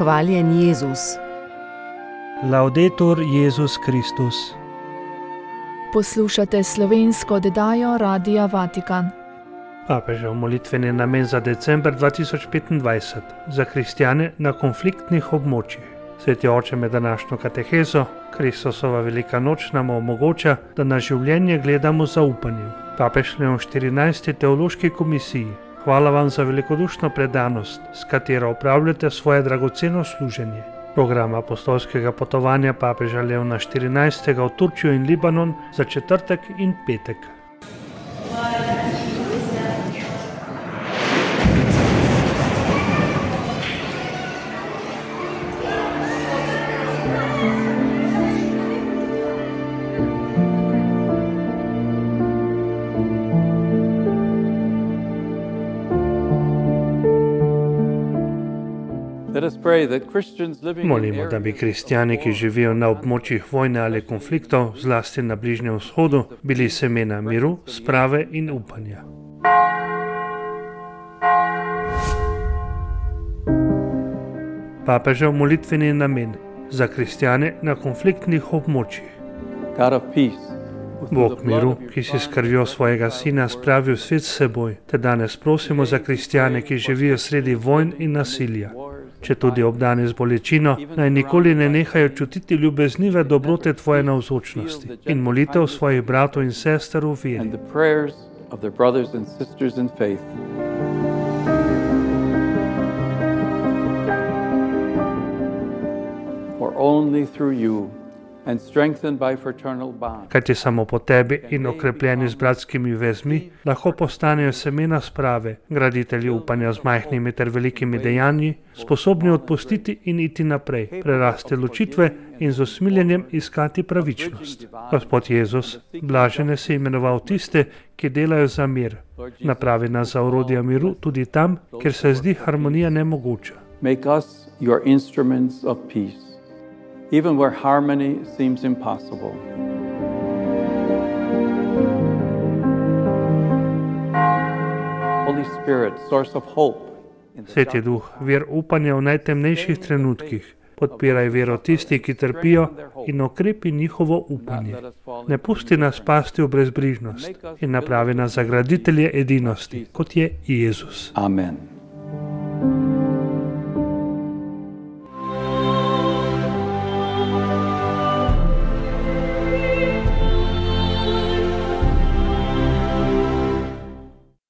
Hvaljen Jezus. Laudetur Jezus Kristus. Poslušate slovensko oddajo Radia Vatikan. Papežev molitveni namen za december 2025 za kristjane na konfliktnih območjih. Sveti oče, med današnjo katehezo, Kristusova velika noč nam omogoča, da na življenje gledamo z zaupanjem. Papež Leon XIV. Teološki komisiji: hvala vam za velikodušno predanost, s katero opravljate svoje dragoceno služenje. Program apostolskega potovanja papeža Leona XIV. V Turčijo in Libanon za četrtek in petek. Molimo, da bi kristjani, ki živijo na območjih vojne ali konfliktov, zlasti na Bližnjem vzhodu, bili semena miru, sprave in upanja. Papežev molitveni namen za kristjane na konfliktnih območjih. Bog miru, ki si s krvjo svojega sina spravil svet s seboj, te danes prosimo za kristjane, ki živijo sredi vojn in nasilja. Če tudi obdani z bolečino, naj nikoli ne nehajo čutiti ljubeznive dobrote tvoje navzočnosti in molitev svojih bratov in sester v veri. Kajti samo po tebi in okrepljeni z bratskimi vezmi lahko postanejo semena sprave, graditelji upanja z majhnimi ter velikimi dejanji, sposobni odpustiti in iti naprej, prerasti ločitve in z usmiljenjem iskati pravičnost. Gospod Jezus, blažene si imenoval tiste, ki delajo za mir. Napravi nas za orodja miru tudi tam, kjer se zdi harmonija nemogoča. Make us your instruments of peace, even where harmony seems impossible. Holy Spirit, source of hope. Sveti Duh, vir upanja v najtemnejših trenutkih, podpiraj vero tistih, ki trpijo, in okrepi njihovo upanje. Ne pusti nas pasti v brezbrižnost in napravi nas za graditelje edinosti, kot je Jezus. Amen.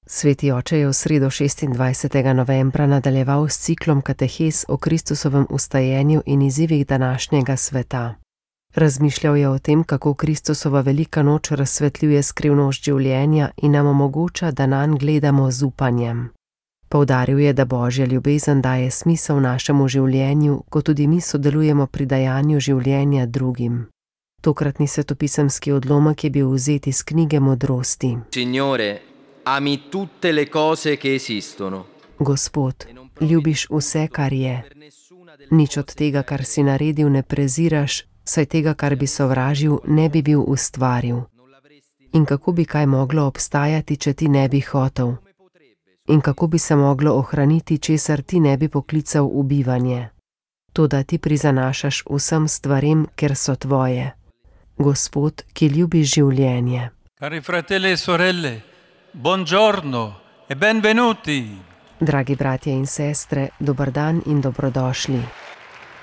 Sveti oče je v sredo 26. novembra nadaljeval s ciklom katehez o Kristusovem vstajenju in izzivih današnjega sveta. Razmišljal je o tem, kako Kristusova velika noč razsvetljuje skrivnost življenja in nam omogoča, da nanj gledamo z upanjem. Poudaril je, da Božja ljubezen daje smisel našemu življenju, ko tudi mi sodelujemo pri dajanju življenja drugim. Tokratni svetopisemski odlomek je bil vzet iz knjige Modrosti. Signore, ami tutte le cose che esistono. Gospod, ljubiš vse, kar je. Nič od tega, kar si naredil, ne preziraš, saj tega, kar bi sovražil, ne bi bil ustvaril. In kako bi kaj moglo obstajati, če ti ne bi hotel? In kako bi se moglo ohraniti, česar ti ne bi poklical v bivanje? Toda ti prizanašaš vsem stvarem, ker so tvoje. Gospod, ki ljubiš življenje. Cari fratelli e sorelle, buongiorno e benvenuti. Dragi bratje in sestre, dober dan in dobrodošli.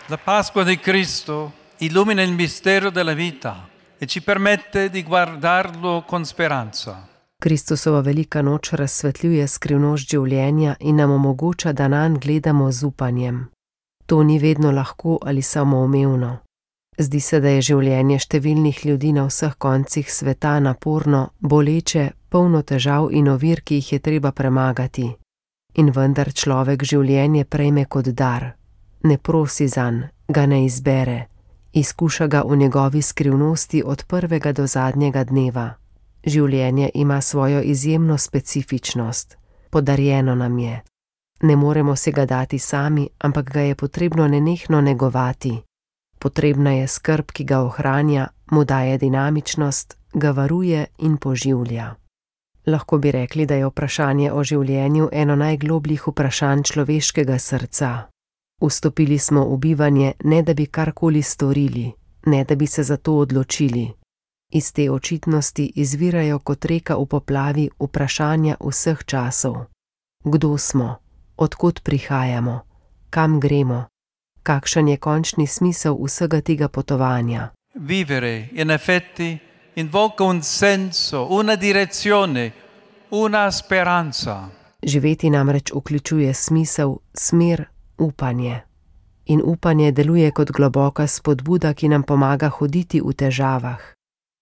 La Pasqua di Cristo illumina il mistero della vita e ci permette di guardarlo con speranza. Kristusova velika noč razsvetljuje skrivnost življenja in nam omogoča, da nanj gledamo z upanjem. To ni vedno lahko ali samoumevno. Zdi se, da je življenje številnih ljudi na vseh koncih sveta naporno, boleče, polno težav in ovir, ki jih je treba premagati. In vendar človek življenje prejme kot dar. Ne prosi zanj, ga ne izbere. Izkuša ga v njegovi skrivnosti od prvega do zadnjega dneva. Življenje ima svojo izjemno specifičnost. Podarjeno nam je. Ne moremo se ga dati sami, ampak ga je potrebno nenehno negovati. Potrebna je skrb, ki ga ohranja, mu daje dinamičnost, ga varuje in poživlja. Lahko bi rekli, da je vprašanje o življenju eno najglobljih vprašanj človeškega srca. Vstopili smo v bivanje, ne da bi karkoli storili, ne da bi se za to odločili. Iz te očitnosti izvirajo kot reka v poplavi vprašanja vseh časov. Kdo smo? Odkot prihajamo? Kam gremo? Kakšen je končni smisel vsega tega potovanja? Vivere, in effetti, invoca un senso, una direzione, una speranza. Živeti namreč vključuje smisel, smer, upanje. In upanje deluje kot globoka spodbuda, ki nam pomaga hoditi v težavah,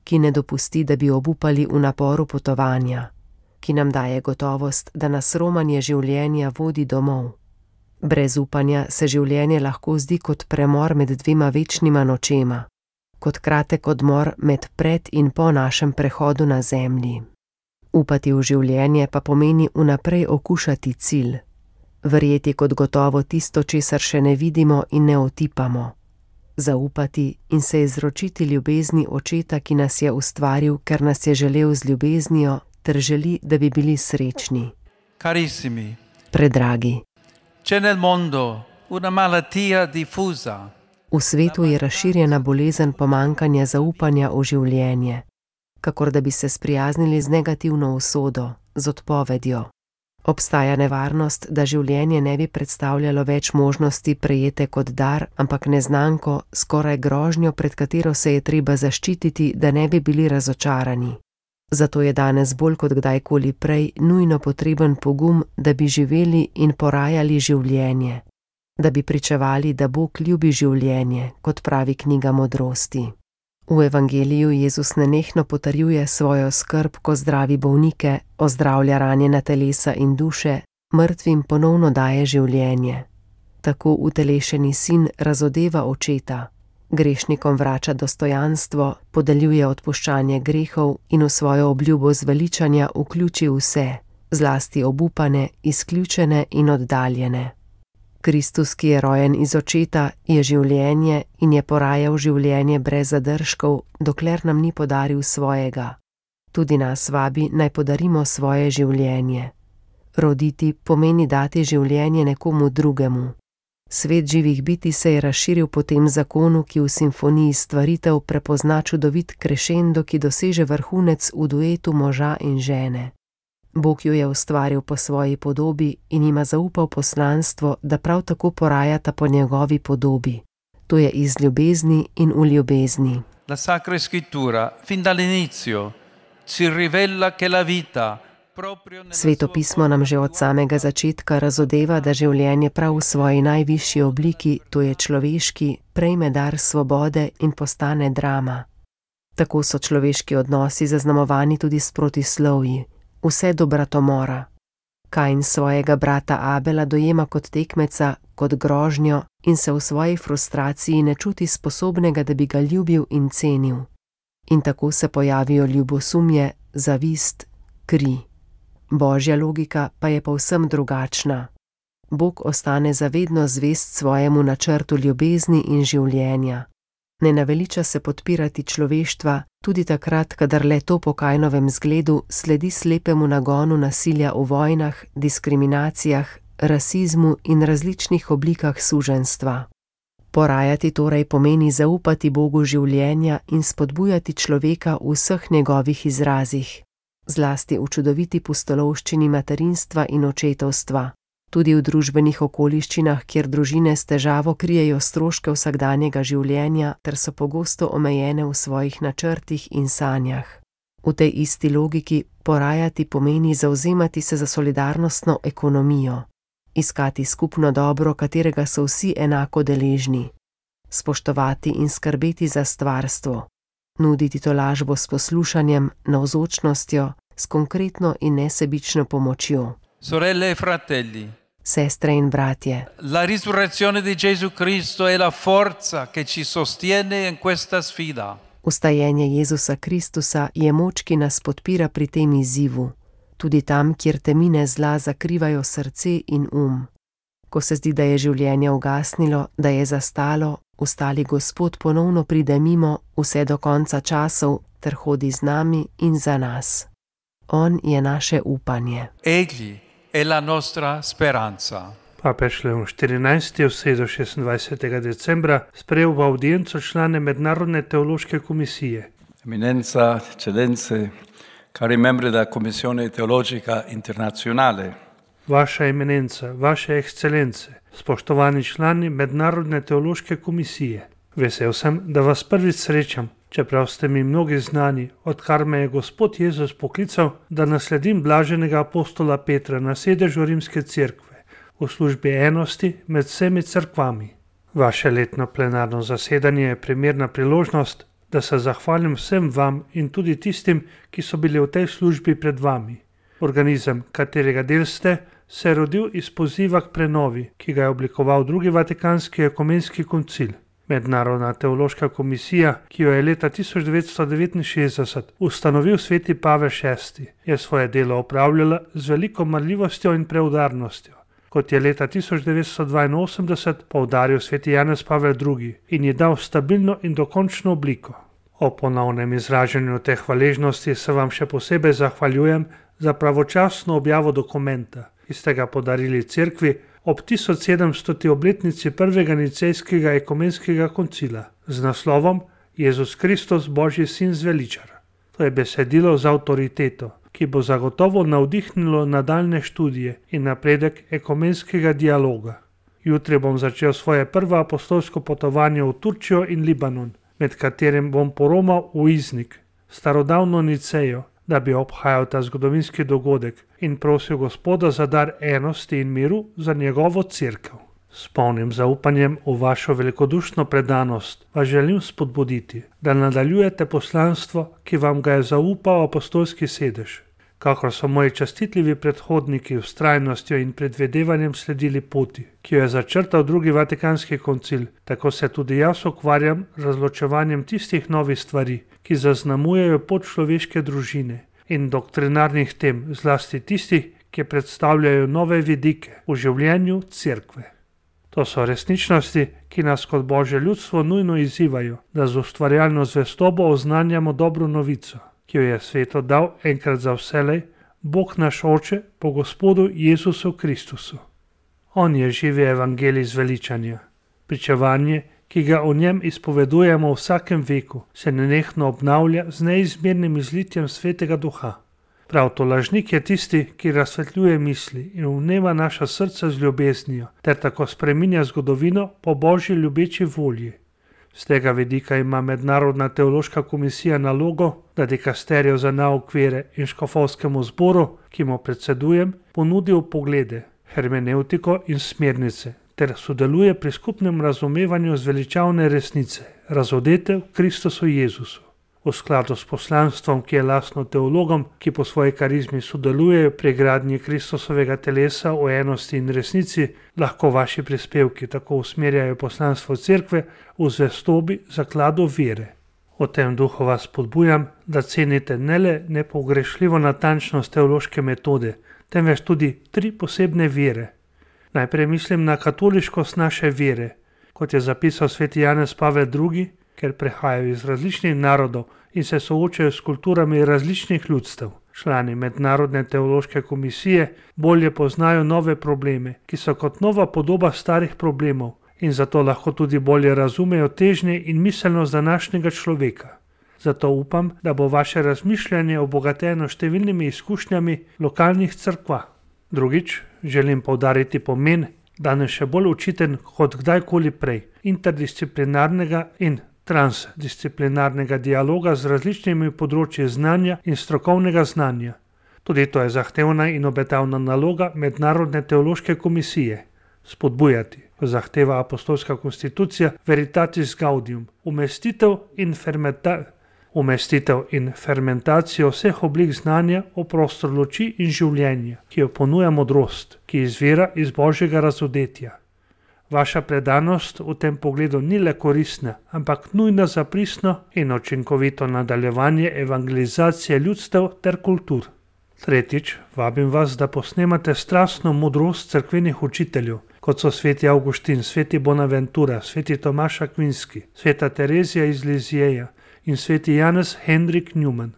ki ne dopusti, da bi obupali v naporu potovanja, ki nam daje gotovost, da nas romanje življenja vodi domov. Brez upanja se življenje lahko zdi kot premor med dvema večnima nočema, kot kratek odmor med pred in po našem prehodu na zemlji. Upati v življenje pa pomeni vnaprej okušati cilj, verjeti kot gotovo tisto, česar še ne vidimo in ne otipamo, zaupati in se izročiti ljubezni Očeta, ki nas je ustvaril, ker nas je želel z ljubeznijo, ter želi, da bi bili srečni. Carissimi, Predragi, c'è nel mondo una malattia diffusa. v svetu je razširjena bolezen pomanjkanja zaupanja v življenje, kakor da bi se sprijaznili z negativno usodo, z odpovedjo. Obstaja nevarnost, da življenje ne bi predstavljalo več možnosti prejete kot dar, ampak neznanko, skoraj grožnjo, pred katero se je treba zaščititi, da ne bi bili razočarani. Zato je danes bolj kot kdajkoli prej nujno potreben pogum, da bi živeli in porajali življenje, da bi pričevali, da Bog ljubi življenje, kot pravi knjiga modrosti. V evangeliju Jezus nenehno potrjuje svojo skrb, ko zdravi bolnike, ozdravlja ranjena telesa in duše, mrtvim ponovno daje življenje. Tako utelešeni sin razodeva Očeta, grešnikom vrača dostojanstvo, podeljuje odpuščanje grehov in v svojo obljubo zveličanja vključi vse, zlasti obupane, izključene in oddaljene. Kristus, ki je rojen iz Očeta, je življenje in je porajal življenje brez zadržkov, dokler nam ni podaril svojega. Tudi nas vabi, naj podarimo svoje življenje. Roditi pomeni dati življenje nekomu drugemu. Svet živih bitij se je razširil po tem zakonu, ki v simfoniji stvaritev prepozna čudovit krešendo, ki doseže vrhunec v duetu moža in žene. Bog jo je ustvaril po svoji podobi in jima zaupal poslanstvo, da prav tako porajata po njegovi podobi. To je iz ljubezni in v ljubezni. La Sacra Scrittura, fin dall'inizio, ci rivela che la vita proprio nella Sveto pismo nam že od samega začetka razodeva, da življenje prav v svoji najvišji obliki, to je človeški, prejme dar svobode in postane drama. Tako so človeški odnosi zaznamovani tudi s protislovji, vse do bratomora. Kain svojega brata Abela dojema kot tekmeca, kot grožnjo in se v svoji frustraciji ne čuti sposobnega, da bi ga ljubil in cenil. In tako se pojavijo ljubosumje, zavist, kri. Božja logika pa je povsem drugačna. Bog ostane zavedno zvest svojemu načrtu ljubezni in življenja. Ne naveliča se podpirati človeštva, tudi takrat, kadar le to po Kainovem zgledu sledi slepemu nagonu nasilja v vojnah, diskriminacijah, rasizmu in različnih oblikah suženjstva. Porajati torej pomeni zaupati Bogu življenja in spodbujati človeka v vseh njegovih izrazih, zlasti v čudoviti pustolovščini materinstva in očetovstva. Tudi v družbenih okoliščinah, kjer družine s težavo krijejo stroške vsakdanjega življenja ter so pogosto omejene v svojih načrtih in sanjah. V tej isti logiki porajati pomeni zavzemati se za solidarnostno ekonomijo, iskati skupno dobro, katerega so vsi enako deležni, spoštovati in skrbeti za stvarstvo, nuditi tolažbo s poslušanjem, navzočnostjo, s konkretno in nesebično pomočjo. Sorelle e fratelli, Sestre in bratje, la risurrezione di Gesù Cristo è la forza che ci sostiene in questa sfida. Vstajenje Jezusa Kristusa je moč, ki nas podpira pri tem izzivu, tudi tam, kjer temine zla zakrivajo srce in Ko se zdi, da je življenje ugasnilo, da je zastalo, ustali Gospod ponovno pride mimo vse do konca časov ter hodi z nami in za nas. On je naše upanje. Egli è la nostra speranza. Papež Leon XIV je v sredo 26. decembra sprejel v audienco člane Mednarodne teološke komisije. Eminenza, eccellenze, cari membri della Commissione Teologica Internazionale. Vaša eminenca, vaše ekscelence, spoštovani člani Mednarodne teološke komisije. Vesel sem, da vas prvič srečam, čeprav ste mi mnogi znani, odkar me je Gospod Jezus poklical, da nasledim blaženega apostola Petra na sedežu Rimske cerkve v službi enosti med vsemi cerkvami. Vaše letno plenarno zasedanje je primerna priložnost, da se zahvalim vsem vam in tudi tistim, ki so bili v tej službi pred vami. Organizem, katerega del ste, se je rodil iz poziva k prenovi, ki ga je oblikoval drugi Vatikanski ekumenski koncil. Mednarodna teološka komisija, ki jo je leta 1969 ustanovil sveti Pavel VI, je svoje delo opravljala z veliko marljivostjo in preudarnostjo, kot je leta 1982 poudaril sveti Janez Pavel II in ji dal stabilno in dokončno obliko. O ponovnem izražanju te hvaležnosti se vam še posebej zahvaljujem za pravočasno objavo dokumenta, ki ste ga podarili cerkvi ob 1700. obletnici prvega nicejskega ekumenskega koncila z naslovom Jezus Kristus, Božji sin zveličar. To je besedilo z avtoriteto, ki bo zagotovo navdihnilo nadaljne študije in napredek ekumenskega dialoga. Jutri bom začel svoje prvo apostolsko potovanje v Turčijo in Libanon, med katerim bom poromal v Iznik, starodavno Nicejo, da bi obhajal ta zgodovinski dogodek in prosil Gospoda za dar enosti in miru za njegovo cerkev. S polnim zaupanjem v vašo velikodušno predanost vas želim spodbuditi, da nadaljujete poslanstvo, ki vam ga je zaupal apostolski sedež. Kakor so moji častitljivi predhodniki vztrajnostjo in predvedevanjem sledili poti, ki jo je začrtal drugi Vatikanski koncil, tako se tudi jaz ukvarjam razločevanjem tistih novih stvari, ki zaznamujejo pot človeške družine in doktrinarnih tem, zlasti tistih, ki predstavljajo nove vidike v življenju cerkve. To so resničnosti, ki nas kot Božje ljudstvo nujno izzivajo, da z ustvarjalno zvestobo oznanjamo dobro novico, ki jo je svetu dal enkrat za vselej Bog naš Oče po Gospodu Jezusu Kristusu. On je živi evangelij zveličanja. Pričevanje, ki ga o njem izpovedujemo v vsakem veku, se nenehno obnavlja z neizmernim izlitjem Svetega Duha. Prav to lažnik je tisti, ki razsvetljuje misli in vnema naša srca z ljubeznijo, ter tako spreminja zgodovino po Božji ljubeči volji. Z tega vidika ima Mednarodna teološka komisija nalogo, da dikasterijo za nauk vere in škofovskemu zboru, ki mu predsedujem, ponudi vpoglede, hermeneutiko in smernice, ter sodeluje pri skupnem razumevanju zveličavne resnice, razodete v Kristusu Jezusu. V skladu s poslanstvom, ki je lastno teologom, ki po svoji karizmi sodelujejo pri gradnji Kristusovega telesa v enosti in resnici, lahko vaši prispevki tako usmerjajo poslanstvo cerkve v zvestobi zakladu vere. V tem duhu vas spodbujam, da cenite ne le nepogrešljivo natančnost teološke metode, temveč tudi 3 posebne vere. Najprej mislim na katoliškost naše vere, kot je zapisal sveti Janez Pavel II, ker prehajajo iz različnih narodov in se soočajo s kulturami različnih ljudstev. Člani Mednarodne teološke komisije bolje poznajo nove probleme, ki so kot nova podoba starih problemov in zato lahko tudi bolje razumejo težnje in miselnost današnjega človeka. Zato upam, da bo vaše razmišljanje obogateno številnimi izkušnjami lokalnih cerkva. Drugič, želim poudariti pomen, danes še bolj očiten kot kdajkoli prej, interdisciplinarnega in transdisciplinarnega dialoga z različnimi področji znanja in strokovnega znanja. Tudi to je zahtevna in obetavna naloga Mednarodne teološke komisije. Spodbujati, ko zahteva apostolska konstitucija Veritatis Gaudium, umestitev in fermentacijo vseh oblik znanja v prostor luči in življenja, ki jo ponuja modrost, ki izvira iz Božjega razodetja. Vaša predanost v tem pogledu ni le koristna, ampak nujna za pristno in učinkovito nadaljevanje evangelizacije ljudstev ter kultur. Tretjič, vabim vas, da posnemate strastno modrost cerkvenih učiteljev, kot so sveti Avguštin, sveti Bonaventura, sveti Tomaš Akvinski, sveta Terezija iz Lizjeja in sveti Janez Hendrik Newman.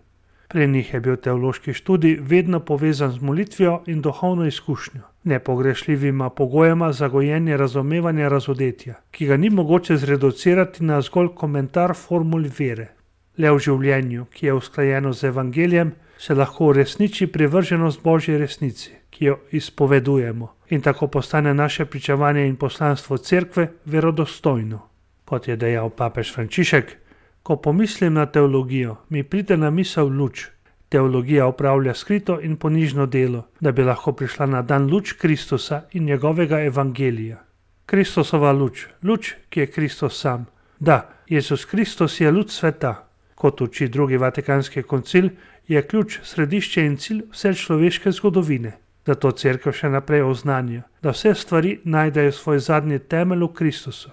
Pri njih je bil teološki študij vedno povezan z molitvijo in duhovno izkušnjo. nepogrešljivima pogojema za gojenje razumevanja razodetja, ki ga ni mogoče zreducirati na zgolj komentar formul vere. Le v življenju, ki je usklajeno z evangelijem, se lahko uresniči privrženost Božji resnici, ki jo izpovedujemo, in tako postane naše pričevanje in poslanstvo cerkve verodostojno. Kot je dejal papež Frančišek, ko pomislim na teologijo, mi pride na misel luč. Teologija opravlja skrito in ponižno delo, da bi lahko prišla na dan luč Kristusa in njegovega evangelija. Kristusova luč, luč, ki je Kristus sam. Da, Jezus Kristus je luč sveta. Kot uči drugi vatikanski koncil, je ključ, središče in cilj vse človeške zgodovine. Zato cerkev še naprej oznanja, da vse stvari najdejo svoj zadnji temelj v Kristusu,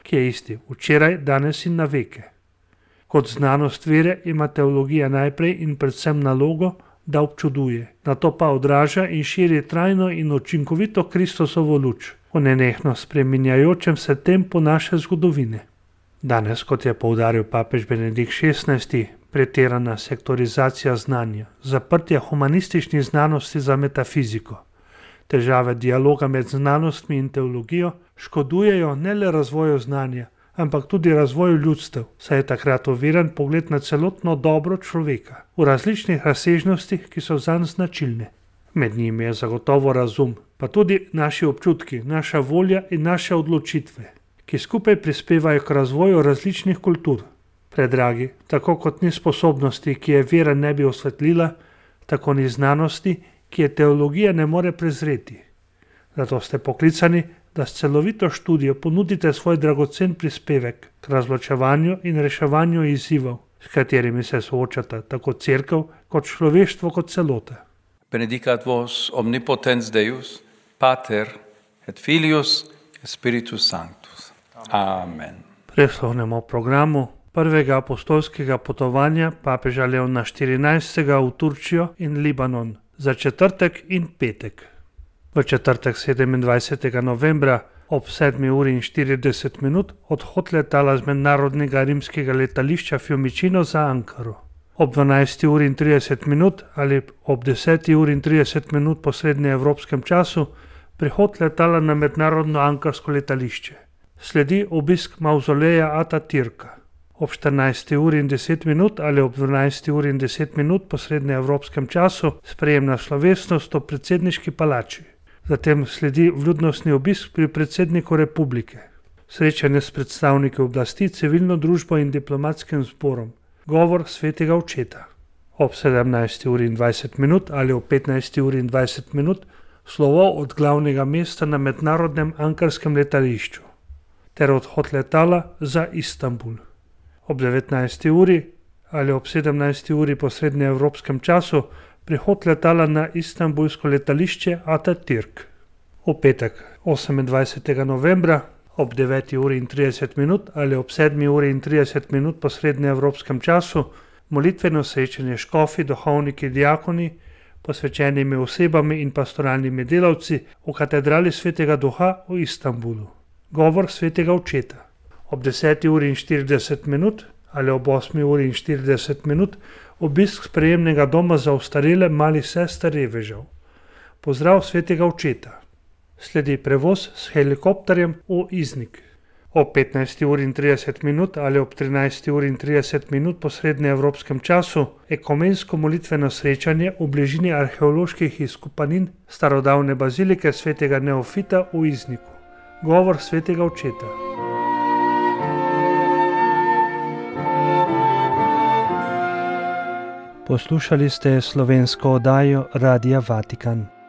ki je isti včeraj, danes in na veke. Kot znanost vere ima teologija najprej in predvsem nalogo, da občuduje, nato pa odraža in širi trajno in učinkovito Kristusovo luč v nenehno spreminjajočem se tempu naše zgodovine. Danes, kot je poudaril papež Benedikt XVI, pretirana sektorizacija znanja, zaprtje humanističnih znanosti za metafiziko, težave dialoga med znanostmi in teologijo škodujejo ne le razvoju znanja, ampak tudi razvoju ljudstev, saj je takrat oviran pogled na celotno dobro človeka v različnih razsežnostih, ki so zanj značilne. Med njimi je zagotovo razum, pa tudi naši občutki, naša volja in naše odločitve, ki skupaj prispevajo k razvoju različnih kultur. Predragi, tako kot ni sposobnosti, ki je vera ne bi osvetlila, tako ni znanosti, ki je teologija ne more prezreti. Zato ste poklicani, da s celovito študijo ponudite svoj dragocen prispevek k razločevanju in reševanju izzivov, s katerimi se soočata tako cerkev kot človeštvo kot celota. Benedicat vos omnipotens Deus, Pater et Filius et Spiritus Sanctus. Amen. Preslovnemu programu prvega apostolskega potovanja papeža Leona XIV. V Turčijo in Libanon za četrtek in petek. V četrtek 27. novembra ob 7:40 odhod letala z mednarodnega rimskega letališča Fiumicino za Ankaro. Ob 12:30 ali ob 10:30 po srednjeevropskem času prihod letala na mednarodno ankarsko letališče. Sledi obisk mavzoleja Atatürka. Ob 14:10 ali ob 12:10 po srednjeevropskem času sprejemna slovesnost v predsedniški palači. Zatem sledi vljudnostni obisk pri predsedniku republike. Srečanje s predstavniki oblasti, civilno družbo in diplomatskim zborom. Govor svetega očeta. Ob 17:20 ali ob 15:20 slovo od glavnega mesta na mednarodnem ankarskem letališču ter odhod letala za Istanbul. Ob 19. uri ali ob 17. uri po srednjeevropskem času prihod letala na istanbulsko letališče Atatürk. V petek 28. novembra ob 9:30 ali ob 7:30 po srednjeevropskem času molitveno srečanje škofi, duhovniki, diakoni, posvečenimi osebami in pastoralnimi delavci v katedrali Svetega Duha v Istanbulu. Govor svetega očeta. Ob 10:40 ali ob 8:40 obisk sprejemnega doma za ostarele malih sester revežev. Pozdrav svetega očeta. Sledi prevoz s helikopterjem v Iznik. Ob 15:30 ali ob 13:30 po srednjeevropskem času ekumensko molitveno srečanje v bližini arheoloških izkopanin starodavne bazilike svetega Neofita v Izniku. Govor svetega očeta. Poslušali ste slovensko oddajo Radia Vatikan.